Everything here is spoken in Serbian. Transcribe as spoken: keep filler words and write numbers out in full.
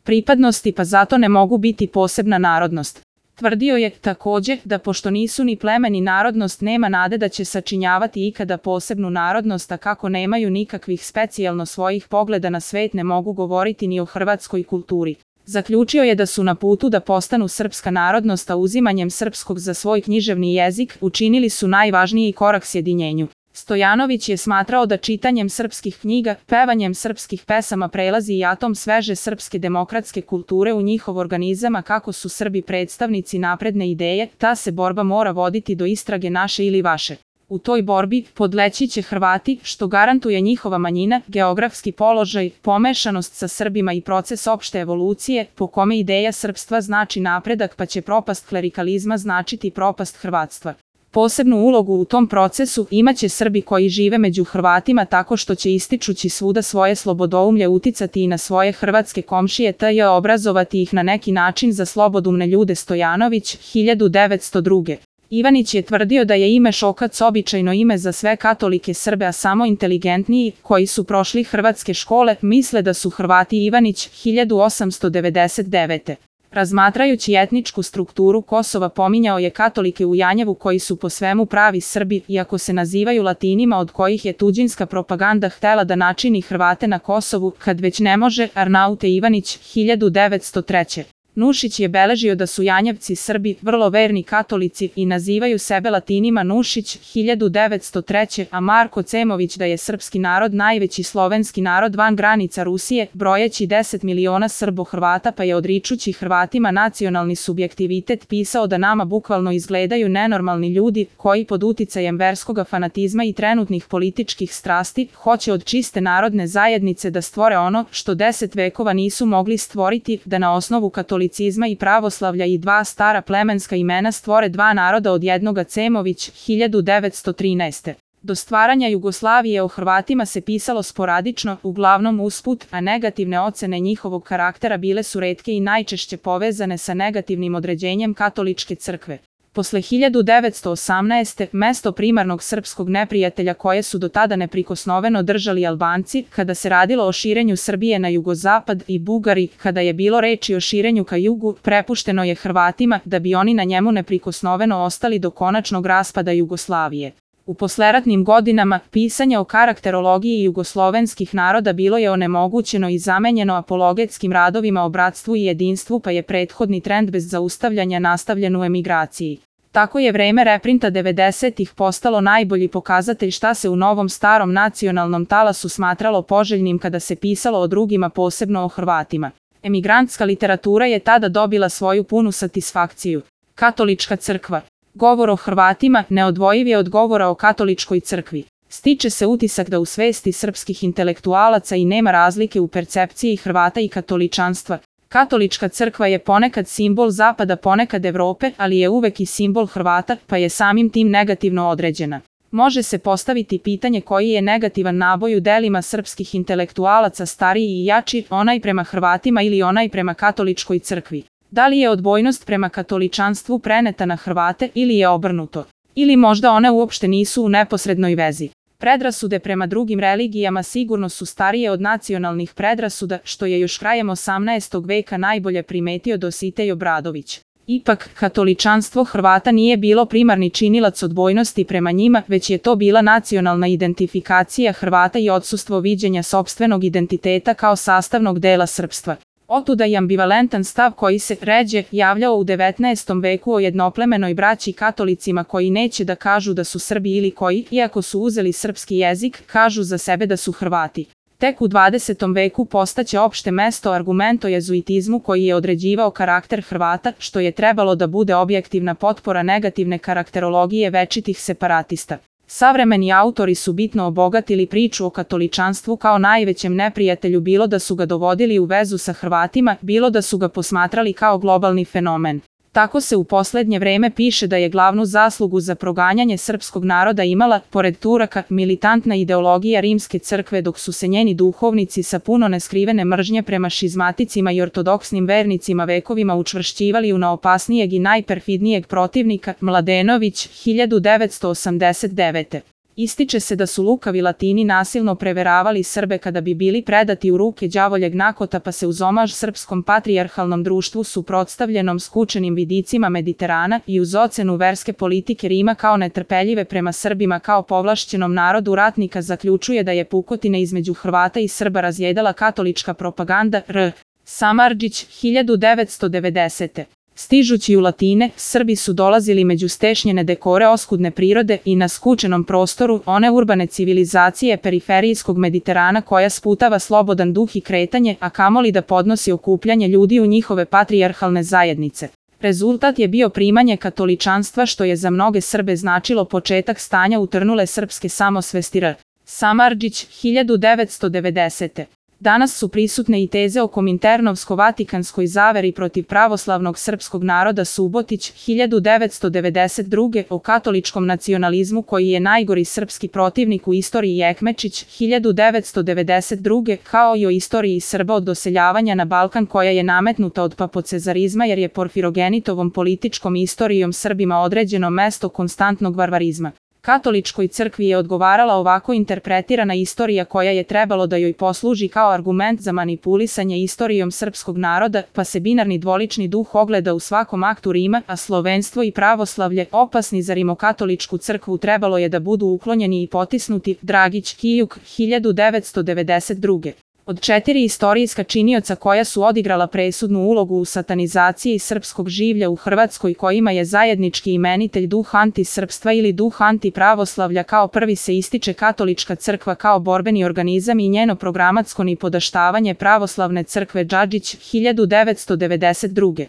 pripadnosti pa zato ne mogu biti posebna narodnost. Tvrdio je, takođe, da pošto nisu ni pleme ni narodnost nema nade da će sačinjavati ikada posebnu narodnost, a kako nemaju nikakvih specijalno svojih pogleda na svet ne mogu govoriti ni o hrvatskoj kulturi. Zaključio je da su na putu da postanu srpska narodnost, a uzimanjem srpskog za svoj književni jezik učinili su najvažniji korak sjedinjenju. Stojanović je smatrao da čitanjem srpskih knjiga, pevanjem srpskih pesama prelazi i atom sveže srpske demokratske kulture u njihov organizam, a kako su Srbi predstavnici napredne ideje, ta se borba mora voditi do istrage naše ili vaše. U toj borbi podleći će Hrvati, što garantuje njihova manjina, geografski položaj, pomešanost sa Srbima i proces opšte evolucije, po kome ideja srpstva znači napredak pa će propast klerikalizma značiti propast hrvatstva. Posebnu ulogu u tom procesu imaće Srbi koji žive među Hrvatima tako što će ističući svuda svoje slobodoumlje uticati i na svoje hrvatske komšije te obrazovati ih na neki način za slobodumne ljude. Stojanović, hiljadu devetsto druge. Ivanić je tvrdio da je ime Šokac običajno ime za sve katolike Srbe, a samo inteligentniji, koji su prošli hrvatske škole, misle da su Hrvati. Ivanić, hiljadu osamsto devedeset devete. Razmatrajući etničku strukturu Kosova pominjao je katolike u Janjevu koji su po svemu pravi Srbi, iako se nazivaju Latinima od kojih je tuđinska propaganda htela da načini Hrvate na Kosovu, kad već ne može. Arnaute Ivanić, hiljadu devetsto treće. Nušić je beležio da su Janjevci Srbi, vrlo verni katolici i nazivaju sebe Latinima. Nušić, hiljadu devetsto treće. A Marko Cemović da je srpski narod najveći slovenski narod van granica Rusije, brojeći deset miliona Srbo-Hrvata, pa je odričući Hrvatima nacionalni subjektivitet pisao da nama bukvalno izgledaju nenormalni ljudi koji pod uticajem verskoga fanatizma i trenutnih političkih strasti hoće od čiste narodne zajednice da stvore ono što deset vekova nisu mogli stvoriti, da na osnovu katolicizma i pravoslavlja i dva stara plemenska imena stvore dva naroda od jednoga. Cemović, hiljadu devetsto trinaeste. Do stvaranja Jugoslavije o Hrvatima se pisalo sporadično, uglavnom usput, a negativne ocene njihovog karaktera bile su retke i najčešće povezane sa negativnim određenjem katoličke crkve. Posle hiljadu devetsto osamnaeste. mesto primarnog srpskog neprijatelja koje su do tada neprikosnoveno držali Albanci, kada se radilo o širenju Srbije na jugozapad, i Bugari, kada je bilo reči o širenju ka jugu, prepušteno je Hrvatima da bi oni na njemu neprikosnoveno ostali do konačnog raspada Jugoslavije. U posleratnim godinama, pisanje o karakterologiji jugoslovenskih naroda bilo je onemogućeno i zamenjeno apologetskim radovima o bratstvu i jedinstvu, pa je prethodni trend bez zaustavljanja nastavljen u emigraciji. Tako je vreme reprinta devedesetih postalo najbolji pokazatelj šta se u novom starom nacionalnom talasu smatralo poželjnim kada se pisalo o drugima, posebno o Hrvatima. Emigrantska literatura je tada dobila svoju punu satisfakciju. Katolička crkva. Govor o Hrvatima neodvojiv je od govora o katoličkoj crkvi. Stiče se utisak da u svesti srpskih intelektualaca i nema razlike u percepciji Hrvata i katoličanstva. Katolička crkva je ponekad simbol Zapada, ponekad Evrope, ali je uvek i simbol Hrvata, pa je samim tim negativno određena. Može se postaviti pitanje koji je negativan naboj u delima srpskih intelektualaca, stariji i jači, onaj prema Hrvatima ili onaj prema katoličkoj crkvi. Da li je odbojnost prema katoličanstvu preneta na Hrvate ili je obrnuto? Ili možda one uopšte nisu u neposrednoj vezi? Predrasude prema drugim religijama sigurno su starije od nacionalnih predrasuda, što je još krajem osamnaestog veka najbolje primetio Dositej Obradović. Ipak, katoličanstvo Hrvata nije bilo primarni činilac odbojnosti prema njima, već je to bila nacionalna identifikacija Hrvata i odsustvo viđenja sopstvenog identiteta kao sastavnog dela srpstva. Otuda i ambivalentan stav koji se ređe javljao u devetnaestom veku o jednoplemenoj braći katolicima koji neće da kažu da su Srbi ili koji, iako su uzeli srpski jezik, kažu za sebe da su Hrvati. Tek u dvadesetom veku postaće opšte mesto argument o jezuitizmu koji je određivao karakter Hrvata, što je trebalo da bude objektivna potpora negativne karakterologije večitih separatista. Savremeni autori su bitno obogatili priču o katoličanstvu kao najvećem neprijatelju, bilo da su ga dovodili u vezu sa Hrvatima, bilo da su ga posmatrali kao globalni fenomen. Tako se u poslednje vreme piše da je glavnu zaslugu za proganjanje srpskog naroda imala, pored Turaka, militantna ideologija rimske crkve, dok su se njeni duhovnici sa puno neskrivene mržnje prema šizmaticima i ortodoksnim vernicima vekovima učvršćivali u naopasnijeg i najperfidnijeg protivnika. Mladenović, hiljadu devetsto osamdeset devete. Ističe se da su lukavi Latini nasilno preveravali Srbe kada bi bili predati u ruke đavoljeg nakota, pa se uz omaž srpskom patrijarhalnom društvu suprotstavljenom skučenim vidicima Mediterana i uz ocenu verske politike Rima kao netrpeljive prema Srbima kao povlašćenom narodu ratnika zaključuje da je pukotine između Hrvata i Srba razjedala katolička propaganda. R. Samardžić, hiljadu devetsto devedesete. Stižući u Latine, Srbi su dolazili među stešnjene dekore oskudne prirode i na skučenom prostoru one urbane civilizacije periferijskog Mediterana koja sputava slobodan duh i kretanje, a kamoli da podnosi okupljanje ljudi u njihove patrijarhalne zajednice. Rezultat je bio primanje katoličanstva, što je za mnoge Srbe značilo početak stanja utrnule srpske samosvesti. R. Samardžić, hiljadu devetsto devedesete. Danas su prisutne i teze o kominternovsko-vatikanskoj zaveri protiv pravoslavnog srpskog naroda. Subotić, hiljadu devetsto devedeset druge. O katoličkom nacionalizmu koji je najgori srpski protivnik u istoriji. Jekmečić, hiljadu devetsto devedeset druge. Kao i o istoriji Srba od doseljavanja na Balkan koja je nametnuta od papocezarizma jer je porfirogenitovom političkom istorijom Srbima određeno mesto konstantnog varvarizma. Katoličkoj crkvi je odgovarala ovako interpretirana istorija koja je trebalo da joj posluži kao argument za manipulisanje istorijom srpskog naroda, pa se binarni dvolični duh ogleda u svakom aktu Rima, a slovenstvo i pravoslavlje, opasni za rimokatoličku crkvu, trebalo je da budu uklonjeni i potisnuti. Dragić, Kijuk, hiljadu devetsto devedeset druge. Od četiri istorijska činioca koja su odigrala presudnu ulogu u satanizaciji srpskog življa u Hrvatskoj, kojima je zajednički imenitelj duh antisrpstva ili duh antipravoslavlja, kao prvi se ističe katolička crkva kao borbeni organizam i njeno programatsko nipodaštavanje pravoslavne crkve. Džadžić, hiljadu devetsto devedeset druge.